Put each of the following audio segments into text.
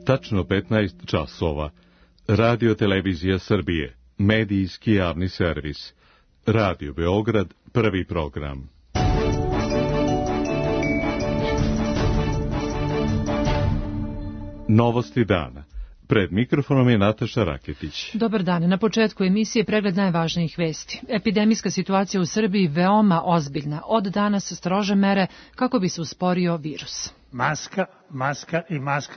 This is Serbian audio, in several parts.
Tačno 15 časova. Radio Televizija Srbije. Medijski javni servis. Radio Beograd, prvi program. Novosti dana. Pred mikrofonom je Nataša Raketić. Dobar dan. Na početku emisije pregled najvažnijih vesti. Epidemijska situacija u Srbiji veoma ozbiljna. Od danas strože mere kako bi se usporio virus. Maska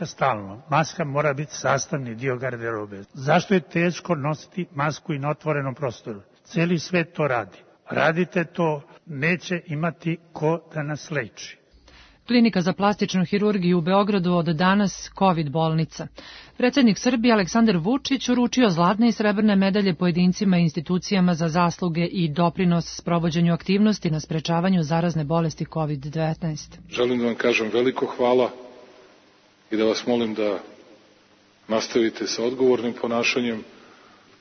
stalno. Maska mora biti sastavni dio garderobe. Zašto je teško nositi masku i na otvorenom prostoru? Cijeli svet to radi. Radite to, neće imati ko da nas leči. Klinika za plastičnu hirurgiju u Beogradu od danas COVID bolnica. Predsjednik Srbije Aleksandar Vučić uručio zlatne i srebrne medalje pojedincima i institucijama za zasluge i doprinos sprovođenju aktivnosti na sprečavanju zarazne bolesti COVID-19. Želim da vam kažem veliko hvala i da vas molim da nastavite sa odgovornim ponašanjem,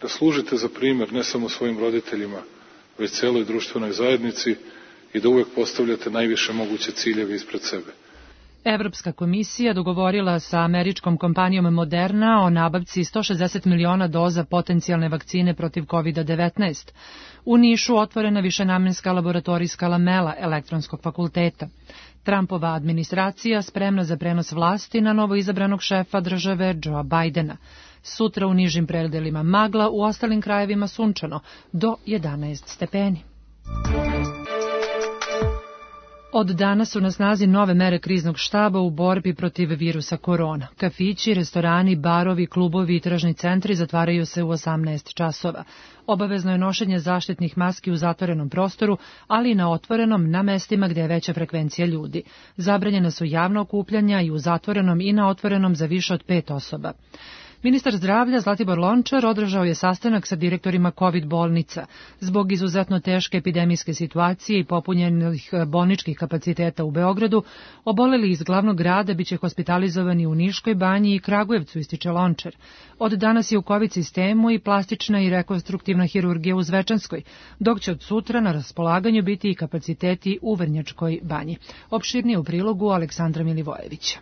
da služite za primjer ne samo svojim roditeljima, već celoj društvenoj zajednici i da uvek postavljate najviše moguće ciljeve ispred sebe. Evropska komisija dogovorila sa američkom kompanijom Moderna o nabavci 160 miliona doza potencijalne vakcine protiv COVID-19. U Nišu otvorena višenamenska laboratorijska lamela elektronskog fakulteta. Trumpova administracija spremna za prenos vlasti na novo izabranog šefa države Joea Bidena. Sutra u nižim predelima magla, u ostalim krajevima sunčano, do 11 stepeni. Od danas su na snazi nove mere kriznog štaba u borbi protiv virusa korona. Kafići, restorani, barovi, klubovi i tržni centri zatvaraju se u 18 časova. Obavezno je nošenje zaštitnih maski u zatvorenom prostoru, ali i na otvorenom na mestima gde je veća frekvencija ljudi. Zabranjena su javna okupljanja i u zatvorenom i na otvorenom za više od 5 osoba. Ministar zdravlja Zlatibor Lončar održao je sastanak sa direktorima COVID bolnica. Zbog izuzetno teške epidemijske situacije i popunjenih bolničkih kapaciteta u Beogradu, oboleli iz glavnog grada biće hospitalizovani u Niškoj banji i Kragujevcu, ističe Lončar. Od danas je u COVID sistemu i plastična i rekonstruktivna hirurgija u Zvečanskoj, dok će od sutra na raspolaganju biti i kapaciteti u Vrnjačkoj banji. Opširnije u prilogu Aleksandra Milivojevića.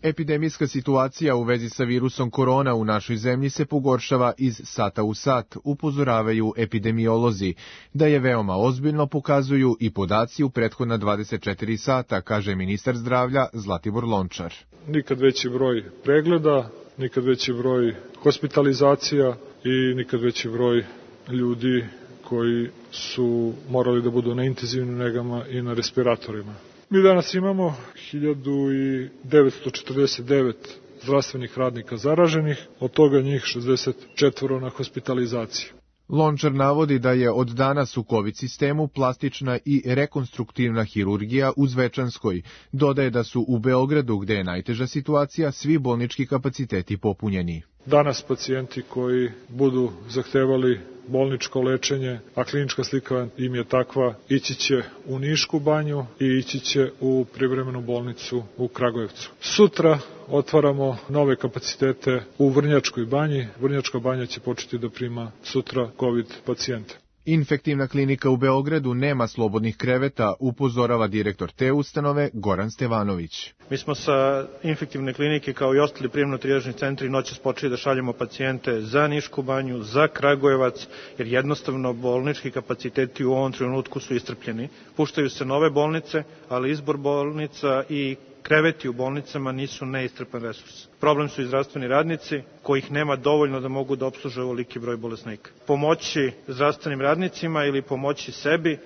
Epidemijska situacija u vezi sa virusom korona u našoj zemlji se pogoršava iz sata u sat, upozoravaju epidemiolozi. Da je veoma ozbiljno pokazuju i podaci u prethodna 24 sata, kaže ministar zdravlja Zlatibor Lončar. Nikad veći broj pregleda, nikad veći broj hospitalizacija i nikad veći broj ljudi koji su morali da budu na intenzivnim negama i na respiratorima. Mi danas imamo 1949 zdravstvenih radnika zaraženih, od toga njih 64 na hospitalizaciji. Lončar navodi da je od danas u COVID sistemu plastična i rekonstruktivna hirurgija u Zvečanskoj. Dodaje da su u Beogradu, gde je najteža situacija, svi bolnički kapaciteti popunjeni. Danas pacijenti koji budu zahtevali bolničko lečenje, a klinička slika im je takva, ići će u Nišku banju i ići će u privremenu bolnicu u Kragujevcu. Sutra otvaramo nove kapacitete u Vrnjačkoj banji. Vrnjačka banja će početi da prima sutra COVID pacijente. Infektivna klinika u Beogradu nema slobodnih kreveta, upozorava direktor te ustanove Goran Stevanović. Mi smo sa infektivne klinike kao i ostali prijemno-trijažni centri noćas počeli da šaljemo pacijente za Nišku banju, za Kragujevac, jer jednostavno bolnički kapaciteti u ovom trenutku su iscrpljeni. Puštaju se nove bolnice, ali izbor bolnica i kreveti u bolnicama nisu neiscrpan resurs. Problem su i zdravstveni radnici, kojih nema dovoljno da mogu da opsluže ovoliki broj bolesnika. Pomoći zdravstvenim radnicima ili pomoći sebi,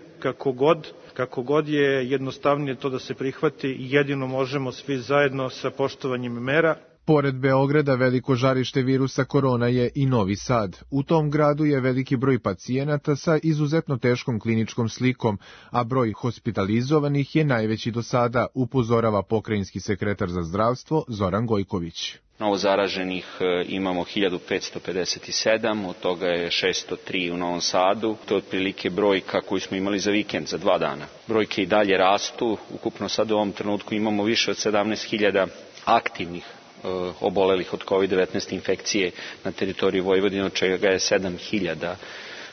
kako god je jednostavnije to da se prihvati, jedino možemo svi zajedno sa poštovanjem mera. Pored Beograda veliko žarište virusa korona je i Novi Sad. U tom gradu je veliki broj pacijenata sa izuzetno teškom kliničkom slikom, a broj hospitalizovanih je najveći do sada, upozorava pokrajinski sekretar za zdravstvo Zoran Gojković. Novo zaraženih imamo 1557, od toga je 603 u Novom Sadu. To je otprilike brojka koju smo imali za vikend, za 2 dana. Brojke i dalje rastu, ukupno sad u ovom trenutku imamo više od 17.000 aktivnih obolelih od COVID-19 infekcije na teritoriji Vojvodine, od čega je 7.000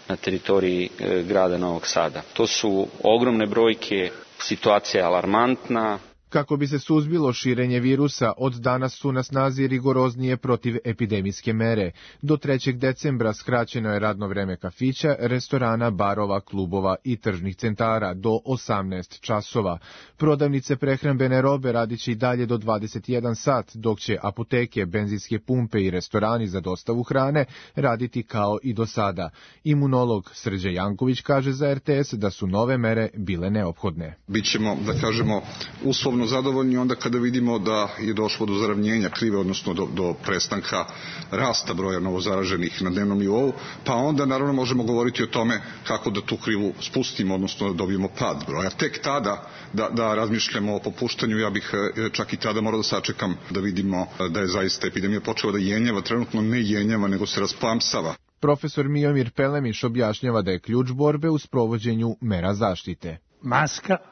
na teritoriji grada Novog Sada. To su ogromne brojke, situacija je alarmantna. Kako bi se suzbilo širenje virusa, od danas su na snazi rigoroznije protivepidemijske mere. Do 3. decembra skraćeno je radno vreme kafića, restorana, barova, klubova i tržnih centara do 18 časova. Prodavnice prehrambene robe radiće i dalje do 21 sat, dok će apoteke, benzinske pumpe i restorani za dostavu hrane raditi kao i do sada. Imunolog Srđe Janković kaže za RTS da su nove mere bile neophodne. Bićemo, da kažemo, uslovno zadovoljni onda kada vidimo da je došlo do zaravnjenja krive, odnosno do prestanka rasta broja novozaraženih na dnevnom nivou, pa onda naravno možemo govoriti o tome kako da tu krivu spustimo, odnosno da dobijemo pad broja. Tek tada da razmišljamo o popuštanju, ja bih čak i tada morao da sačekam da vidimo da je zaista epidemija počela da jenjava, trenutno ne jenjava, nego se rasplamsava. Profesor Miomir Pelemiš objašnjava da je ključ borbe u sprovođenju mera zaštite.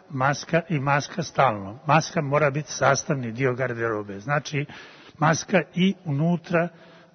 Maska i maska stalno. Maska mora biti sastavni dio garderobe. Znači, maska i unutra,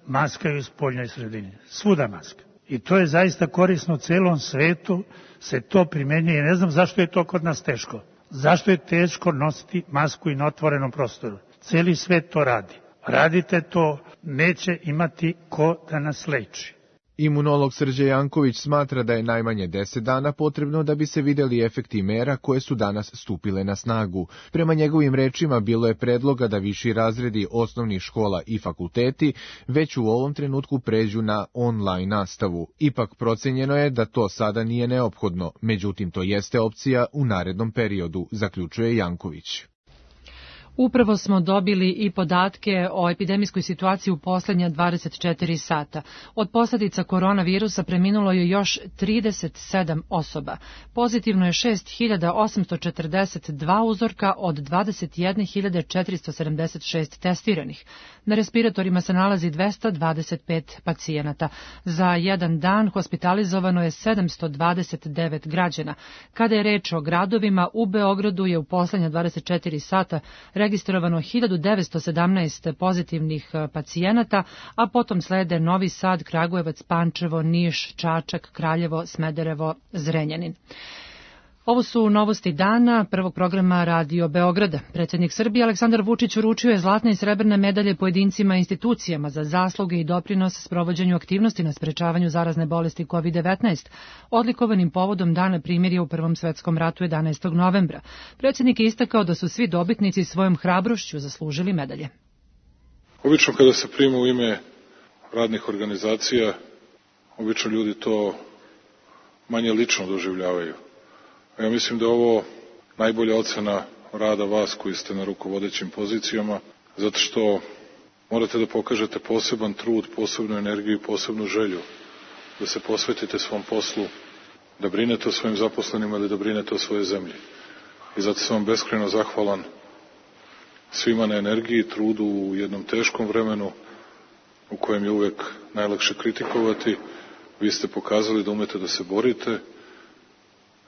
maska i u spoljnoj sredini. Svuda maska. I to je zaista korisno u celom svetu, se to primenjuje. Ne znam zašto je to kod nas teško. Zašto je teško nositi masku i na otvorenom prostoru? Celi svet to radi. Radite to, neće imati ko da nas leči. Imunolog Srđe Janković smatra da je najmanje 10 dana potrebno da bi se videli efekti mera koje su danas stupile na snagu. Prema njegovim rečima bilo je predloga da viši razredi osnovnih škola i fakulteti već u ovom trenutku pređu na online nastavu. Ipak procenjeno je da to sada nije neophodno, međutim to jeste opcija u narednom periodu, zaključuje Janković. Upravo smo dobili i podatke o epidemijskoj situaciji u poslednja 24 sata. Od posljedica koronavirusa preminulo je još 37 osoba. Pozitivno je 6.842 uzorka od 21.476 testiranih. Na respiratorima se nalazi 225 pacijenata. Za jedan dan hospitalizovano je 729 građana. Kada je reč o gradovima, u Beogradu je u poslednja 24 sata registrovano 1917 pozitivnih pacijenata, a potom slede Novi Sad, Kragujevac, Pančevo, Niš, Čačak, Kraljevo, Smederevo, Zrenjanin. Ovo su novosti dana prvog programa Radio Beograda. Predsjednik Srbije Aleksandar Vučić uručio je zlatne i srebrne medalje pojedincima i institucijama za zasluge i doprinos sprovođenju aktivnosti na sprečavanju zarazne bolesti COVID-19, odlikovanim povodom Dana primirja u Prvom svetskom ratu 11. novembra. Predsjednik je istakao da su svi dobitnici svojom hrabrošću zaslužili medalje. Obično kada se prima u ime radnih organizacija, obično ljudi to manje lično doživljavaju. Ja mislim da je ovo najbolja ocena rada vas koji ste na rukovodećim pozicijama, zato što morate da pokažete poseban trud, posebnu energiju i posebnu želju da se posvetite svom poslu, da brinete o svojim zaposlenima ili da brinete o svojoj zemlji. I zato sam vam beskrajno zahvalan svima na energiji i trudu u jednom teškom vremenu u kojem je uvek najlakše kritikovati. Vi ste pokazali da umete da se borite,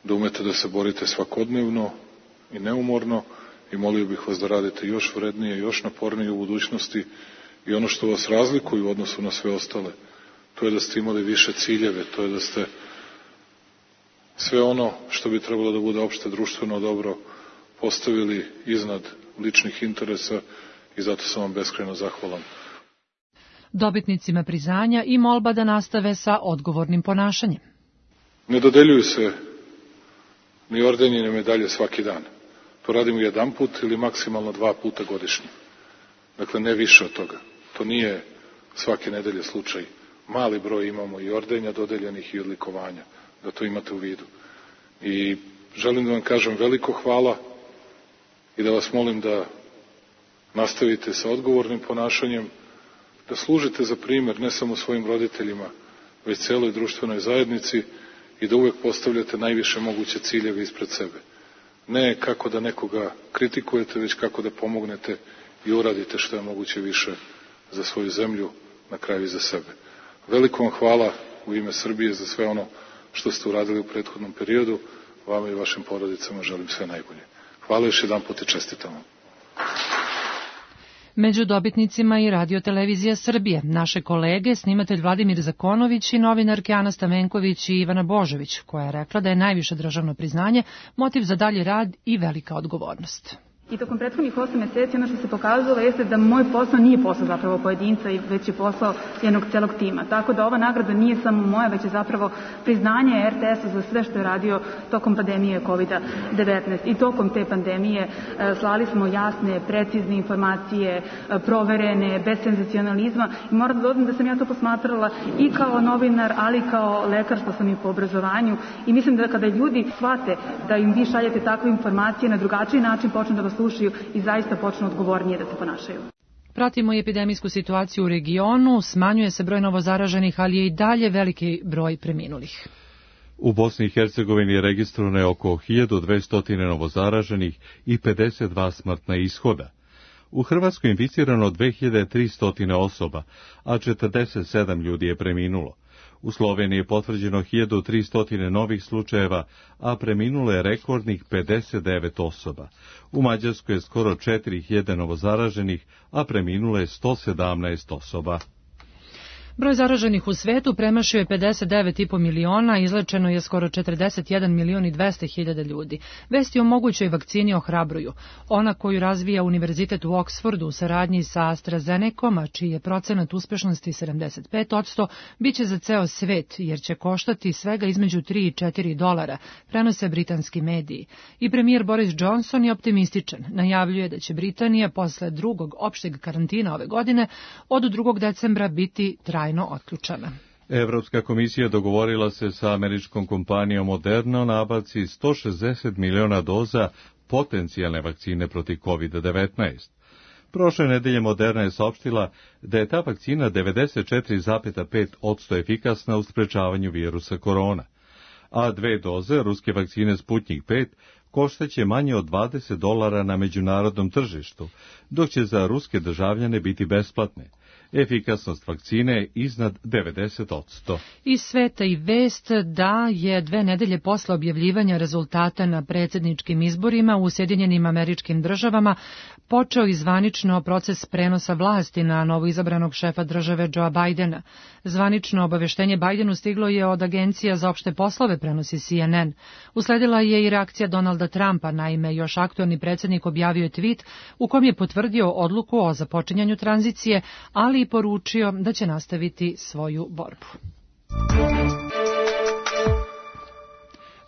da umete da se borite svakodnevno i neumorno i molio bih vas da radite još vrednije, još napornije u budućnosti i ono što vas razlikuje u odnosu na sve ostale, to je da ste imali više ciljeve, to je da ste sve ono što bi trebalo da bude opšte društveno dobro postavili iznad ličnih interesa i zato sam vam beskrajno zahvalan. Dobitnicima priznanja i molba da nastave sa odgovornim ponašanjem. Ne dodeljuju se ni ordeni ni medalje svaki dan. To radimo jedan put ili maksimalno 2 puta godišnje. Dakle, ne više od toga. To nije svake nedelje slučaj. Mali broj imamo i ordenja dodeljenih i odlikovanja, da to imate u vidu. I želim da vam kažem veliko hvala i da vas molim da nastavite sa odgovornim ponašanjem, da služite za primer ne samo svojim roditeljima, već celoj društvenoj zajednici i da uvek postavljate najviše moguće ciljeve ispred sebe. Ne kako da nekoga kritikujete, već kako da pomognete i uradite što je moguće više za svoju zemlju, na kraju i za sebe. Veliko vam hvala u ime Srbije za sve ono što ste uradili u prethodnom periodu. Vama i vašim porodicama želim sve najbolje. Hvala još jedan put i čestitam vam. Među dobitnicima i Radio-televizija Srbije, naše kolege, snimatelj Vladimir Zakonović i novinarke Ana Stamenković i Ivana Božović, koja je rekla da je najviše državno priznanje motiv za dalji rad i velika odgovornost. I tokom prethodnih 8 meseci ono što se pokazalo jeste da moj posao nije posao zapravo pojedinca, već je posao jednog celog tima. Tako da ova nagrada nije samo moja, već je zapravo priznanje RTS-a za sve što je radio tokom pandemije COVID-19. I tokom te pandemije slali smo jasne, precizne informacije, proverene, bez senzacionalizma. I moram da dodam da sam ja to posmatrala i kao novinar, ali i kao lekar, što sam i po obrazovanju. I mislim da kada ljudi shvate da im vi šaljete takve informacije, na drugačiji način počnu da vas slušaju i zaista počnu odgovornije da se ponašaju. Pratimo i epidemijsku situaciju u regionu, smanjuje se broj novozaraženih, ali je i dalje veliki broj preminulih. U Bosni i Hercegovini je registrovano je oko 1200 novozaraženih i 52 smrtna ishoda. U Hrvatskoj je inficirano 2300 osoba, a 47 ljudi je preminulo. U Sloveniji je potvrđeno 1300 novih slučajeva, a preminulo je rekordnih 59 osoba. U Mađarskoj je skoro 4000 novozaraženih, a preminulo je 117 osoba. Broj zaraženih u svetu premašio je 59,5 miliona, izlečeno je skoro 41 milion i 200 hiljada ljudi. Vesti o mogućoj vakcini ohrabruju. Ona koju razvija Univerzitet u Oksfordu u saradnji sa AstraZenecom, a čiji je procenat uspešnosti 75%, bit će za ceo svet, jer će koštati svega između $3 i $4, prenose britanski mediji. I premijer Boris Johnson je optimističan. Najavljuje da će Britanija posle drugog opšteg karantina ove godine od 2. decembra biti trajno otključana. Evropska komisija dogovorila se sa američkom kompanijom Moderna o nabavci 160 miliona doza potencijalne vakcine protiv COVID-19. Prošle nedelje Moderna je saopštila da je ta vakcina 94,5% efikasna u sprečavanju virusa korona, a 2 doze ruske vakcine Sputnik 5 koštaće manje od $20 na međunarodnom tržištu, dok će za ruske državljane biti besplatne. Efikasnost vakcine je iznad 90%. Iz sveta i vest da je 2 nedelje posle objavljivanja rezultata na predsjedničkim izborima u Sjedinjenim Američkim Državama počeo i zvanično proces prenosa vlasti na novoizabranog šefa države Joea Bidena. Zvanično obaveštenje Bidenu stiglo je od Agencija za opšte poslove, prenosi CNN. Usledila je i reakcija Donalda Trumpa, naime još aktuelni predsjednik objavio je tweet u kom je potvrdio odluku o započinjanju tranzicije, ali i poručio da će nastaviti svoju borbu.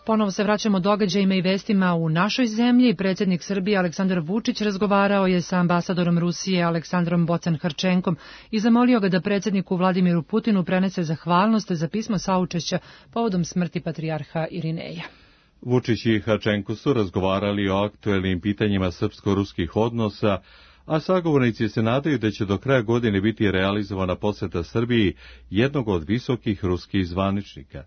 Ponovo se vraćamo događajima i vestima u našoj zemlji. Predsjednik Srbije Aleksandar Vučić razgovarao je sa ambasadorom Rusije Aleksandrom Bocan-Hrčenkom i zamolio ga da predsjedniku Vladimiru Putinu prenese zahvalnost za pismo saučešća povodom smrti patrijarha Irineja. Vučić i Hrčenko su razgovarali o aktuelnim pitanjima srpsko-ruskih odnosa, a sagovornici se nadaju da će do kraja godine biti realizovana poseta Srbiji jednog od visokih ruskih zvaničnika.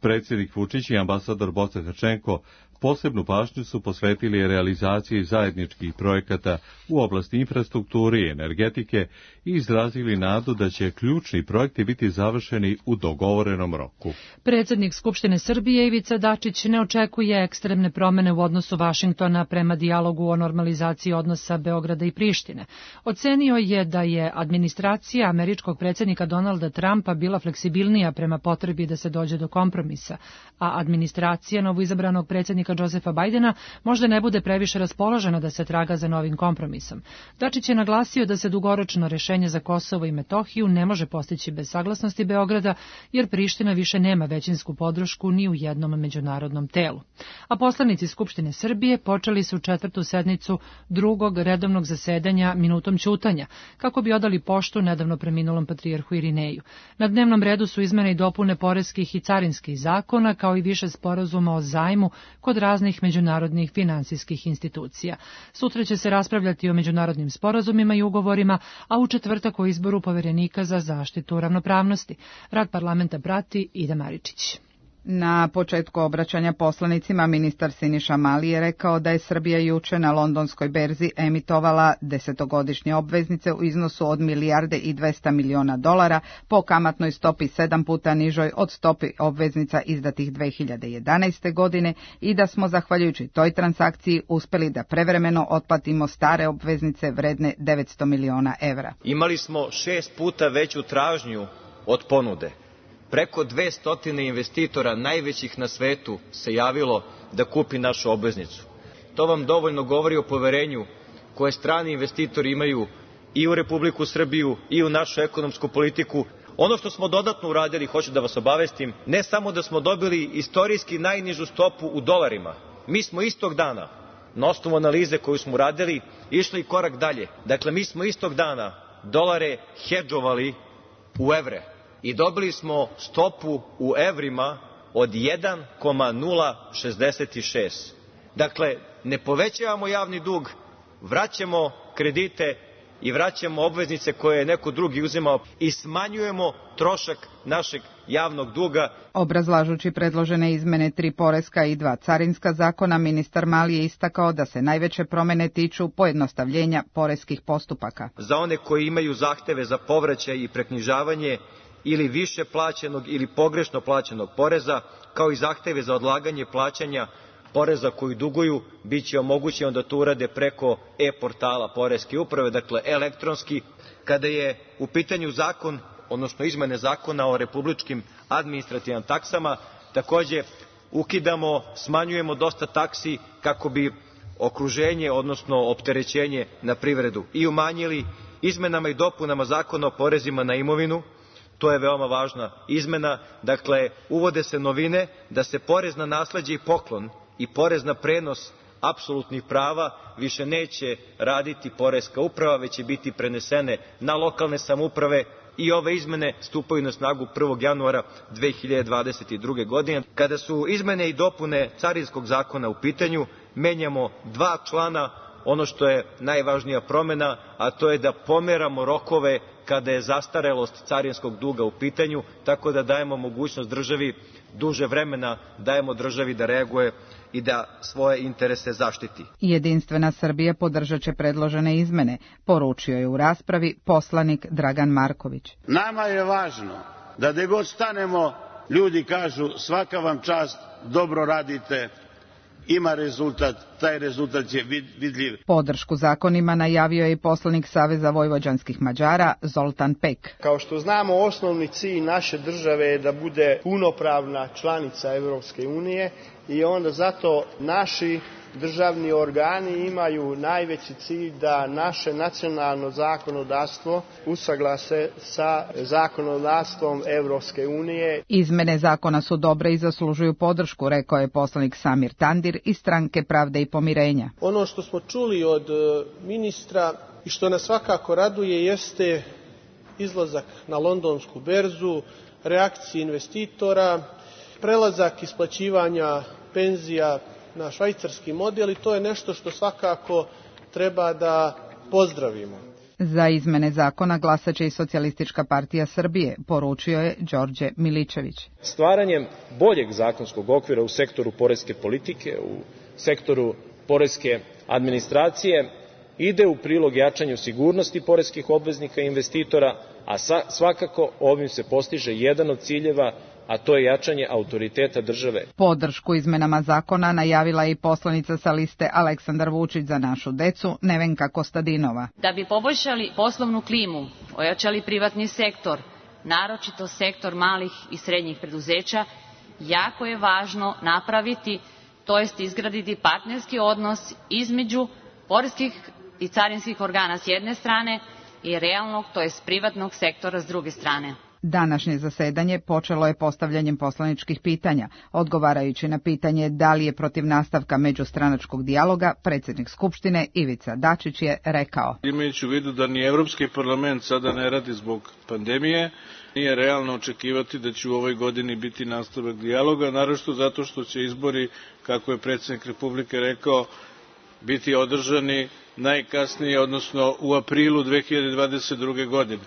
Predsjednik Vučić i ambasador Bocan-Hrčenko posebnu pažnju su posvetili realizaciji zajedničkih projekata u oblasti infrastrukture i energetike i izrazili nadu da će ključni projekti biti završeni u dogovorenom roku. Predsjednik Skupštine Srbije Ivica Dačić ne očekuje ekstremne promene u odnosu Vašingtona prema dijalogu o normalizaciji odnosa Beograda i Prištine. Ocenio je da je administracija američkog predsjednika Donalda Trumpa bila fleksibilnija prema potrebi da se dođe do kompromisa, a administracija novoizabranog predsjednika Josefa Bidena možda ne bude previše raspoložena da se traga za novim kompromisom. Dačić je naglasio da se dugoročno rešenje za Kosovo i Metohiju ne može postići bez saglasnosti Beograda, jer Priština više nema većinsku podršku ni u jednom međunarodnom telu. A poslanici Skupštine Srbije počeli su 4. sednicu drugog redovnog zasedanja minutom ćutanja, kako bi odali poštu nedavno preminulom patrijarhu Irineju. Na dnevnom redu su izmene i dopune poreskih i carinskih zakona, kao i više sporazuma o zajmu kod raznih međunarodnih finansijskih institucija. Sutra će se raspravljati o međunarodnim sporazumima i ugovorima, a u četvrtak o izboru poverenika za zaštitu ravnopravnosti. Rad parlamenta prati Ida Maričić. Na početku obraćanja poslanicima ministar Siniša Mali je rekao da je Srbija juče na londonskoj berzi emitovala 10-godišnje obveznice u iznosu od $1,2 milijarde po kamatnoj stopi 7 puta nižoj od stopi obveznica izdatih 2011. godine i da smo zahvaljujući toj transakciji uspeli da prevremeno otplatimo stare obveznice vredne €900 miliona. Imali smo 6 puta veću tražnju od ponude. Preko 200 investitora, najvećih na svetu, se javilo da kupi našu obveznicu. To vam dovoljno govori o poverenju koje strani investitori imaju i u Republiku Srbiju i u našu ekonomsku politiku. Ono što smo dodatno uradili, hoću da vas obavestim, ne samo da smo dobili istorijski najnižu stopu u dolarima, mi smo istog dana, na osnovu analize koju smo uradili, išli korak dalje. Dakle, mi smo istog dana dolare hedžovali u evre i dobili smo stopu u evrima od 1,066. Dakle, ne povećavamo javni dug, vraćamo kredite i vraćamo obveznice koje je neko drugi uzimao i smanjujemo trošak našeg javnog duga. Obrazlažući predložene izmene 3 poreska i 2 carinska zakona, ministar Mali je istakao da se najveće promene tiču pojednostavljenja poreskih postupaka. Za one koji imaju zahteve za povraćaj i preknjižavanje ili više plaćenog ili pogrešno plaćenog poreza, kao i zahteve za odlaganje plaćanja poreza koji duguju, bit će omogućeno da to urade preko e-portala Poreske uprave, dakle elektronski. Kada je u pitanju zakon, odnosno izmene zakona o republičkim administrativnim taksama, takođe ukidamo, smanjujemo dosta taksi kako bi okruženje, odnosno opterećenje na privredu i umanjili. Izmenama i dopunama Zakona o porezima na imovinu, to je veoma važna izmena, dakle uvode se novine da se porez na nasleđe i poklon i porez na prenos apsolutnih prava više neće raditi Poreska uprava, već će biti prenesene na lokalne samouprave i ove izmene stupaju na snagu 1. januara 2022. godine. Kada su izmene i dopune Carinskog zakona u pitanju, menjamo 2 člana, ono što je najvažnija promena, a to je da pomeramo rokove kada je zastarelost carinskog duga u pitanju, tako da dajemo mogućnost državi, duže vremena dajemo državi da reaguje i da svoje interese zaštiti. Jedinstvena Srbija podržat će predložene izmene, poručio je u raspravi poslanik Dragan Marković. Nama je važno da gde god stanemo, ljudi kažu svaka vam čast, dobro radite, ima rezultat, taj rezultat je vidljiv. Podršku zakonima najavio je i poslanik Saveza vojvođanskih Mađara Zoltan Pek. Kao što znamo, osnovni cilj naše države je da bude punopravna članica Evropske unije i onda zato naši državni organi imaju najveći cilj da naše nacionalno zakonodavstvo usaglase sa zakonodavstvom Evropske unije. Izmene zakona su dobre i zaslužuju podršku, rekao je poslanik Samir Tandir iz Stranke Pravde i pomirenja. Ono što smo čuli od ministra i što nas svakako raduje jeste izlazak na londonsku berzu, reakcije investitora, prelazak isplaćivanja penzija na švajcarski model i to je nešto što svakako treba da pozdravimo. Za izmene zakona glasaće i Socijalistička partija Srbije, poručio je Đorđe Miličević. Stvaranjem boljeg zakonskog okvira u sektoru poreske politike, u sektoru poreske administracije, ide u prilog jačanju sigurnosti poreskih obveznika i investitora, a svakako ovim se postiže jedan od ciljeva, a to je jačanje autoriteta države. Podršku izmenama zakona najavila je i poslanica sa liste Aleksandar Vučić za našu decu, Nevenka Kostadinova. Da bi poboljšali poslovnu klimu, ojačali privatni sektor, naročito sektor malih i srednjih preduzeća, jako je važno napraviti, to jest izgraditi partnerski odnos između poreskih i carinskih organa s jedne strane i realnog, to jest privatnog sektora s druge strane. Današnje zasedanje počelo je postavljanjem poslaničkih pitanja. Odgovarajući na pitanje da li je protiv nastavka međustranačkog dijaloga, predsjednik Skupštine Ivica Dačić je rekao: Imajući u vidu da ni Evropski parlament sada ne radi zbog pandemije, nije realno očekivati da će u ovoj godini biti nastavak dijaloga, naročito zato što će izbori, kako je predsjednik Republike rekao, biti održani najkasnije, odnosno u aprilu 2022. godine.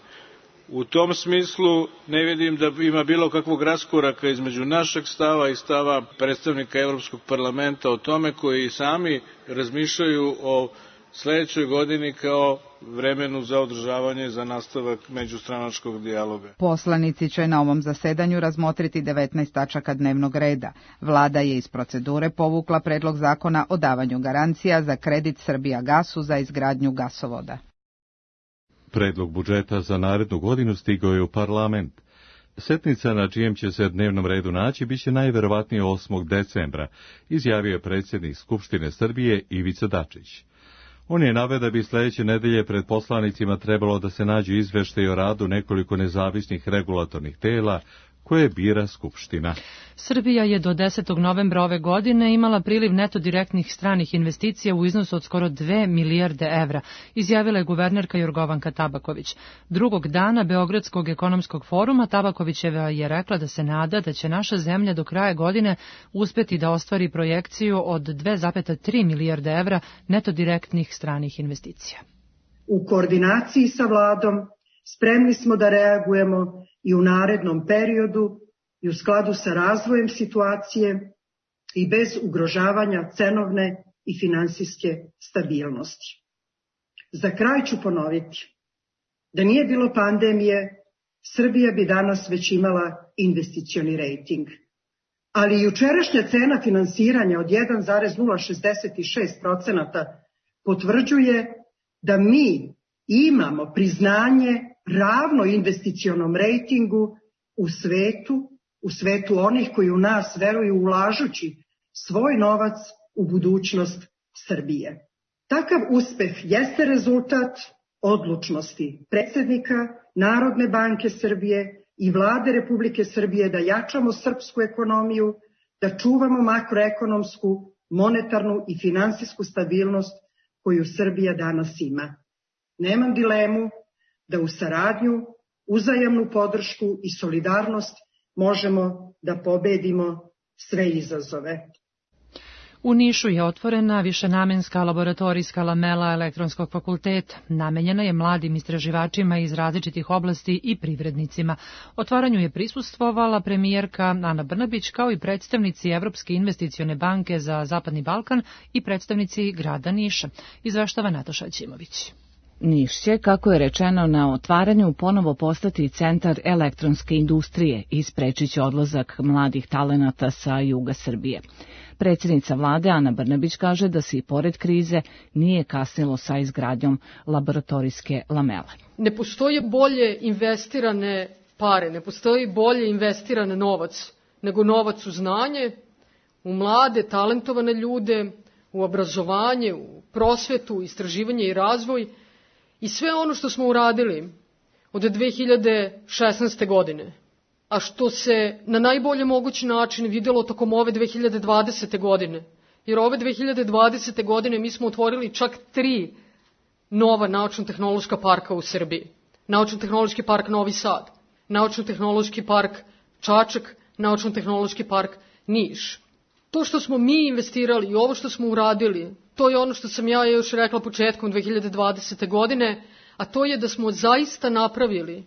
U tom smislu ne vidim da ima bilo kakvog raskoraka između našeg stava i stava predstavnika Evropskog parlamenta o tome, koji sami razmišljaju o sledećoj godini kao vremenu za održavanje za nastavak međustranačkog dijaloga. Poslanici će na ovom zasedanju razmotriti 19 tačaka dnevnog reda. Vlada je iz procedure povukla predlog zakona o davanju garancija za kredit Srbijagasu za izgradnju gasovoda. Predlog budžeta za narednu godinu stigao je u parlament. Setnica na čijem će se dnevnom redu naći biće najverovatnije 8. decembra, izjavio je predsjednik Skupštine Srbije Ivica Dačić. On je naveo da bi sledeće nedelje pred poslanicima trebalo da se nađu izveštaji o radu nekoliko nezavisnih regulatornih tela koje bira Skupština. Srbija je do 10. novembra ove godine imala priliv neto direktnih stranih investicija u iznosu od skoro 2 milijarde evra, izjavila je guvernerka Jorgovanka Tabaković. Drugog dana Beogradskog ekonomskog foruma Tabakovićeva je rekla da se nada da će naša zemlja do kraja godine uspeti da ostvari projekciju od 2,3 milijarde evra neto direktnih stranih investicija. U koordinaciji sa vladom spremni smo da reagujemo i u narednom periodu i u skladu sa razvojem situacije i bez ugrožavanja cenovne i finansijske stabilnosti. Za kraj ću ponoviti, da nije bilo pandemije, Srbija bi danas već imala investicioni rejting. Ali jučerašnja cena finansiranja od 1,066% potvrđuje da mi imamo priznanje ravno investicionom rejtingu u svetu onih koji u nas veruju ulažući svoj novac u budućnost Srbije. Takav uspeh jeste rezultat odlučnosti predsjednika Narodne banke Srbije i Vlade Republike Srbije da jačamo srpsku ekonomiju, da čuvamo makroekonomsku, monetarnu i finansijsku stabilnost koju Srbija danas ima. Nemam dilemu da u saradnju, uzajamnu podršku i solidarnost možemo da pobedimo sve izazove. U Nišu je otvorena višenamenska laboratorijska lamela Elektronskog fakulteta. Namenjena je mladim istraživačima iz različitih oblasti i privrednicima. Otvaranju je prisustvovala premijerka Ana Brnabić kao i predstavnici Evropske investicione banke za Zapadni Balkan i predstavnici grada Niša. Izveštava Nataša Ćimović. Niš će, kako je rečeno na otvaranju, ponovo postati centar elektronske industrije i sprečit će odlazak mladih talenata sa juga Srbije. Predsjednica vlade Ana Brnabić kaže da se i pored krize nije kasnilo sa izgradnjom laboratorijske lamele. Ne postoje bolje investirane pare, ne postoji bolje investiran novac nego novac u znanje, u mlade, talentovane ljude, u obrazovanje, u prosvetu, istraživanje i razvoj. I sve ono što smo uradili od 2016. godine, a što se na najbolji mogući način vidjelo tokom ove 2020. godine, jer ove 2020. godine mi smo otvorili čak 3 nova naučno-tehnološka parka u Srbiji. Naučno-tehnološki park Novi Sad, Naučno-tehnološki park Čačak, Naučno-tehnološki park Niš. To što smo mi investirali i ovo što smo uradili, to je ono što sam ja još rekla početkom 2020. godine, a to je da smo zaista napravili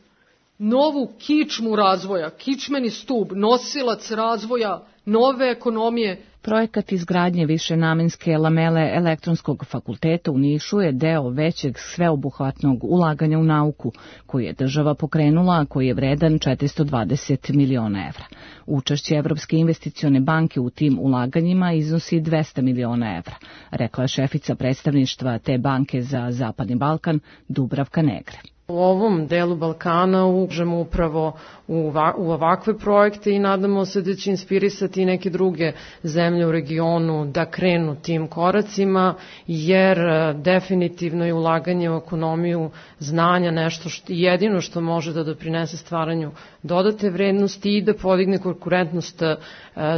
novu kičmu razvoja, kičmeni stub, nosilac razvoja nove ekonomije. Projekat izgradnje višenamenske lamele Elektronskog fakulteta u Nišu je deo većeg sveobuhvatnog ulaganja u nauku, koji je država pokrenula, a koji je vredan 420 miliona evra. Učešće Evropske investicione banke u tim ulaganjima iznosi 200 miliona evra, rekla je šefica predstavništva te banke za Zapadni Balkan Dubravka Negre. U ovom delu Balkana ulažemo upravo u ovakve projekte i nadamo se da će inspirisati i neke druge zemlje u regionu da krenu tim koracima, jer definitivno je ulaganje u ekonomiju znanja nešto jedino što može da doprinese stvaranju dodate vrednosti i da podigne konkurentnost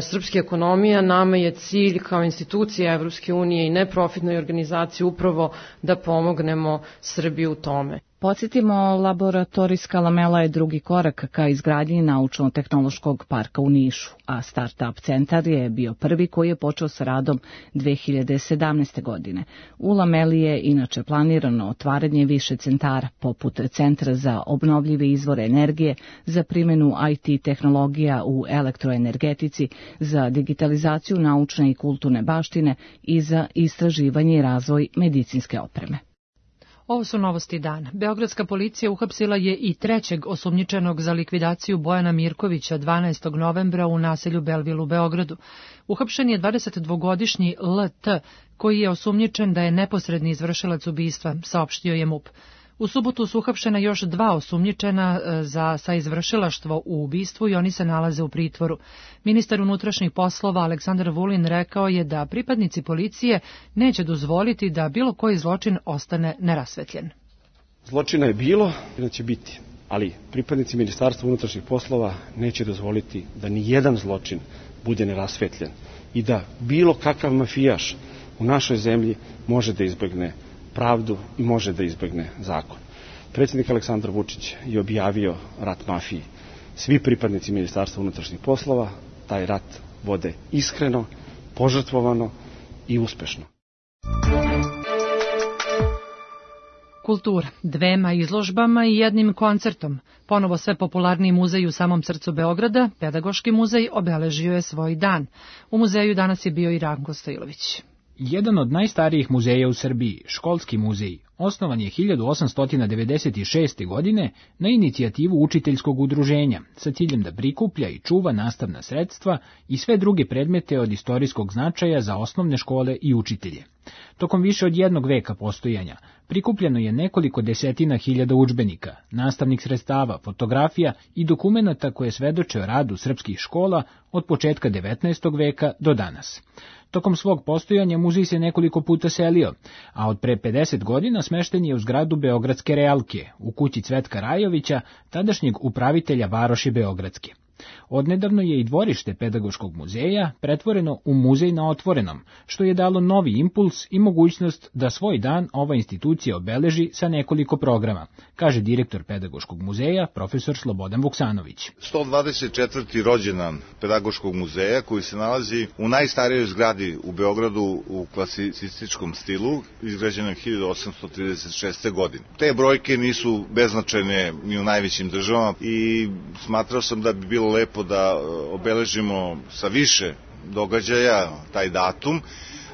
srpske ekonomije. Nama je cilj kao institucija Evropske unije i neprofitnoj organizaciji upravo da pomognemo Srbiji u tome. Podsjetimo, laboratorijska lamela je drugi korak ka izgradnji naučno-tehnološkog parka u Nišu, a Startup centar je bio prvi koji je počeo sa radom 2017. godine. U lameli je inače planirano otvaranje više centara, poput Centra za obnovljive izvore energije, za primjenu IT tehnologija u elektroenergetici, za digitalizaciju naučne i kulturne baštine i za istraživanje i razvoj medicinske opreme. Ovo su novosti dana. Beogradska policija uhapsila je i trećeg osumnjičenog za likvidaciju Bojana Mirkovića 12. novembra u naselju Belvil u Beogradu. Uhapšen je 22-godišnji LT, koji je osumnjičen da je neposredni izvršilac ubistva, saopštio je MUP. U subotu su uhapšena još 2 osumnjičena za saizvršilaštvo u ubistvu i oni se nalaze u pritvoru. Ministar unutrašnjih poslova Aleksandar Vulin rekao je da pripadnici policije neće dozvoliti da bilo koji zločin ostane nerasvetljen. Zločina je bilo i da će biti, ali pripadnici Ministarstva unutrašnjih poslova neće dozvoliti da ni jedan zločin bude nerasvetljen i da bilo kakav mafijaš u našoj zemlji može da izbegne pravdu i može da izbegne zakon. Predsjednik Aleksandar Vučić je objavio rat mafiji. Svi pripadnici Ministarstva unutrašnjih poslova taj rat vode iskreno, požrtvovano i uspešno. Kultura, 2 izložbama i 1 koncertom. Ponovo sve popularniji muzej u samom srcu Beograda, Pedagoški muzej, obeležio je svoj dan. U muzeju danas je bio i Ranko Stojilović. Jedan od najstarijih muzeja u Srbiji, Školski muzej, osnovan je 1896. godine na inicijativu učiteljskog udruženja sa ciljem da prikuplja i čuva nastavna sredstva i sve druge predmete od istorijskog značaja za osnovne škole i učitelje. Tokom više od 1 veka postojanja prikupljeno je nekoliko desetina hiljada udžbenika, nastavnih sredstava, fotografija i dokumenata koje svedoče o radu srpskih škola od početka 19. veka do danas. Tokom svog postojanja muzej se nekoliko puta selio, a od pre 50 godina smešten je u zgradu Beogradske realke, u kući Cvetka Rajovića, tadašnjeg upravitelja varoši Beogradske. Odnedavno je i dvorište Pedagoškog muzeja pretvoreno u muzej na otvorenom, što je dalo novi impuls i mogućnost da svoj dan ova institucija obeleži sa nekoliko programa, kaže direktor Pedagoškog muzeja, profesor Slobodan Vuksanović. 124. rođendan Pedagoškog muzeja, koji se nalazi u najstarijoj zgradi u Beogradu u klasicističkom stilu, izgrađenom 1836. godine. Te brojke nisu beznačajne ni u najvećim državama i smatrao sam da bi bilo lepo da obeležimo sa više događaja taj datum.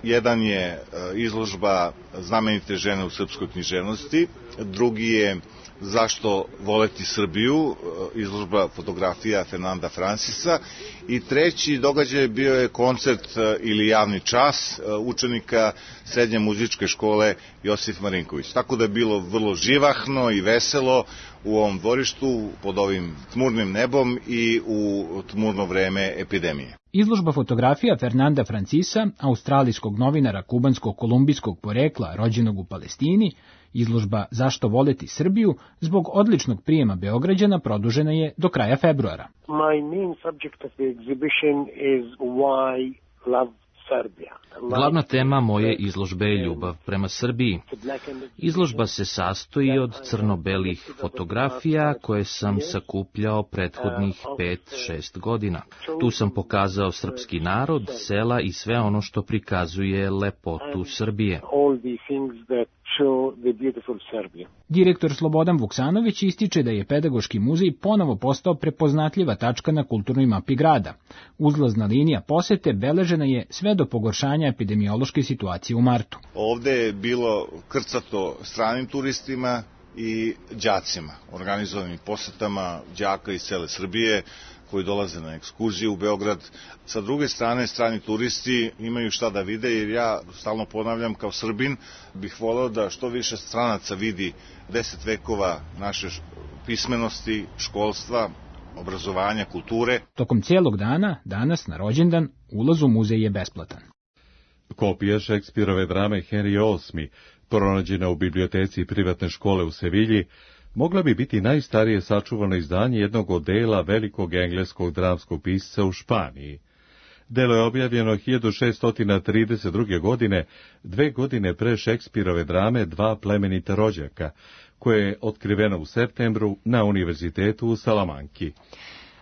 Jedan je izložba Znamenite žene u srpskoj književnosti, drugi je Zašto voleti Srbiju, izložba fotografija Fernanda Francisa, i treći događaj bio je koncert ili javni čas učenika srednje muzičke škole Josif Marinković. Tako da je bilo vrlo živahno i veselo u ovom dvorištu pod ovim tmurnim nebom i u tmurno vreme epidemije. Izložba fotografija Fernanda Francisa, australijskog novinara kubansko-kolumbijskog porekla rođenog u Palestini, izložba Zašto voleti Srbiju, zbog odličnog prijema Beograđana produžena je do kraja februara. My main subject of the exhibition is why love Serbia. Glavna tema moje izložbe je ljubav prema Srbiji. Izložba se sastoji od crno-belih fotografija koje sam sakupljao prethodnih 5-6 godina. Tu sam pokazao srpski narod, sela i sve ono što prikazuje lepotu Srbije. Direktor Slobodan Vuksanović ističe da je Pedagoški muzej ponovo postao prepoznatljiva tačka na kulturnoj mapi grada. Uzlazna linija posete beležena je sve do pogoršanja epidemiološke situacije u martu. Ovde je bilo krcato stranim turistima i đacima, organizovanim posetama đaka iz cele Srbije koji dolaze na ekskurziju u Beograd. Sa druge strane, strani turisti imaju šta da vide, jer ja stalno ponavljam, kao Srbin bih voleo da što više stranaca vidi 10 vekova naše pismenosti, školstva, obrazovanja, kulture. Tokom cijelog dana, danas na rođendan, ulaz u muzej je besplatan. Kopija Šekspirove drame Henry VIII, pronađena u biblioteci privatne škole u Sevilji, mogla bi biti najstarije sačuvano izdanje jednog od dela velikog engleskog dramskog pisca u Španiji. Delo je objavljeno 1632. godine, 2 godine pre Šekspirove drame Dva plemenita rođaka, koje je otkriveno u septembru na Univerzitetu u Salamanki.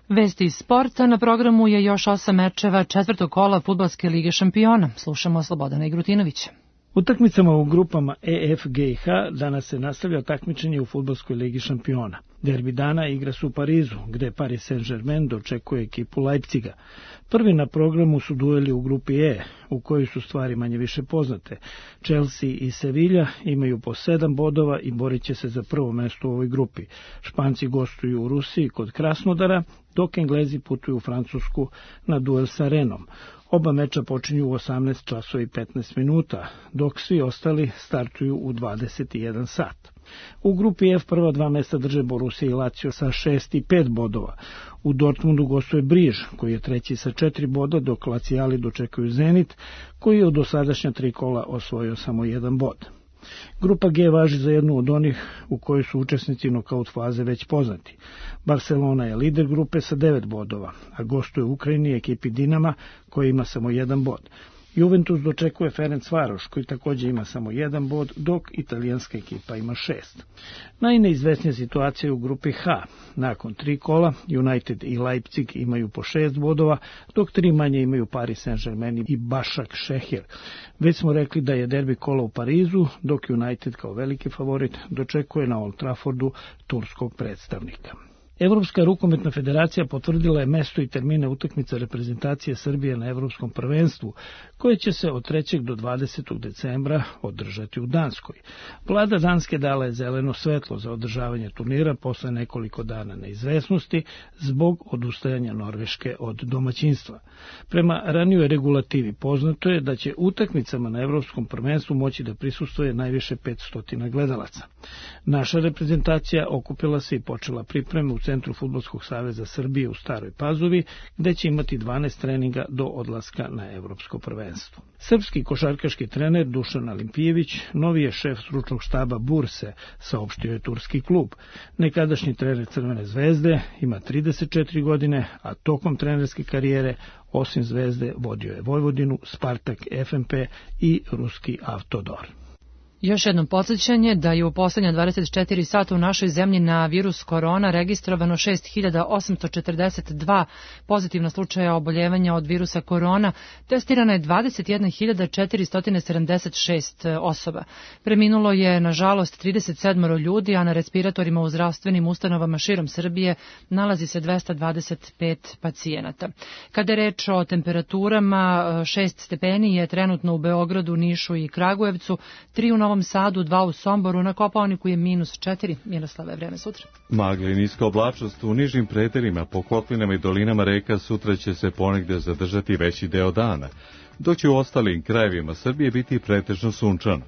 Vesti iz sporta, na programu je još 8 mečeva 4. kola Fudbalske lige šampiona. Slušamo Slobodana Igrutinovića. Utakmicama u grupama E, F, G i H danas se nastavlja takmičenje u Fudbalskoj ligi šampiona. Derbi dana igra se u Parizu, gde Paris Saint-Germain dočekuje ekipu Leipziga. Prvi na programu su dueli u grupi E, u kojoj su stvari manje više poznate. Chelsea i Sevilla imaju po 7 bodova i borit će se za prvo mesto u ovoj grupi. Španci gostuju u Rusiji kod Krasnodara, dok Englezi putuju u Francusku na duel sa Renom. Oba meča počinju u 18 časova i 15 minuta, dok svi ostali startuju u 21 sat. U grupi F prva 2 mesta drže Borussia i Lazio sa 6 i 5 bodova. U Dortmundu gostuje Briž, koji je treći sa 4 boda, dok Lacijali dočekuju Zenit, koji je u dosadašnja 3 kola osvojio samo 1 bod. Grupa G važi za jednu od onih u kojoj su učesnici nokaut faze već poznati. Barcelona je lider grupe sa 9 bodova, a gostuje u Ukrajini ekipi Dinama koja ima samo 1 bod. Juventus dočekuje Ferencvaroš koji također ima samo 1 bod, dok italijanska ekipa ima 6. Najneizvesnija situacija u grupi H. Nakon 3 kola United i Leipzig imaju po 6 bodova, dok 3 manje imaju Paris Saint-Germain i Başak Šehir. Već smo rekli da je derbi kola u Parizu, dok United kao veliki favorit dočekuje na Old Traffordu turskog predstavnika. Evropska rukometna federacija potvrdila je mesto i termine utakmica reprezentacije Srbije na Evropskom prvenstvu, koje će se od 3. do 20. decembra održati u Danskoj. Vlada Danske dala je zeleno svetlo za održavanje turnira posle nekoliko dana neizvesnosti zbog odustajanja Norveške od domaćinstva. Prema ranijoj regulativi poznato je da će utakmicama na Evropskom prvenstvu moći da prisustvuje najviše 500 gledalaca. Naša reprezentacija okupila se i počela pripreme u Centru Fudbalskog saveza Srbije u Staroj Pazovi, gde će imati 12 treninga do odlaska na Evropsko prvenstvo. Srpski košarkaški trener Dušan Alimpijević novi je šef stručnog štaba Burse, saopštio je turski klub. Nekadašnji trener Crvene zvezde ima 34 godine, a tokom trenerske karijere osim Zvezde vodio je Vojvodinu, Spartak, FNP i ruski Avtodor. Još jednom podsjećanje da je u poslednja 24 sata u našoj zemlji na virus korona registrovano 6.842 pozitivna slučaja oboljevanja od virusa korona, testirana je 21.476 osoba. Preminulo je, nažalost, 37 ljudi, a na respiratorima u zdravstvenim ustanovama širom Srbije nalazi se 225 pacijenata. Kada je reč o temperaturama, 6 stepeni je trenutno u Beogradu, Nišu i Kragujevcu, 3 u Novom Sadu, 2 u Somboru, na Kopaoniku je -4. Miroslava, je vreme sutra. Magla i niska oblačnost u nižim predelima, po kotlinama i dolinama reka sutra će se ponegde zadržati veći deo dana, dok će u ostalim krajevima Srbije biti pretežno sunčano.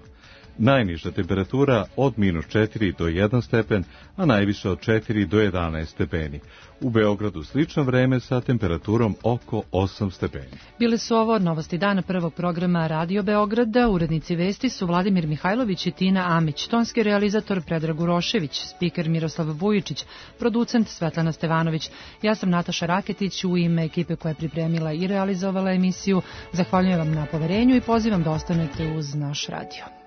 Najniža temperatura od -4 do 1 stepen, a najviše od 4 do 11 stepeni. U Beogradu slično vreme sa temperaturom oko 8 stepeni. Bile su ovo novosti dana prvog programa Radio Beograda. Urednici vesti su Vladimir Mihajlović i Tina Amić, tonski realizator Predrag Urošević, spiker Miroslav Vujičić, producent Svetlana Stevanović. Ja sam Nataša Raketić, u ime ekipe koja je pripremila i realizovala emisiju. Zahvaljujem vam na poverenju i pozivam da ostanete uz naš radio.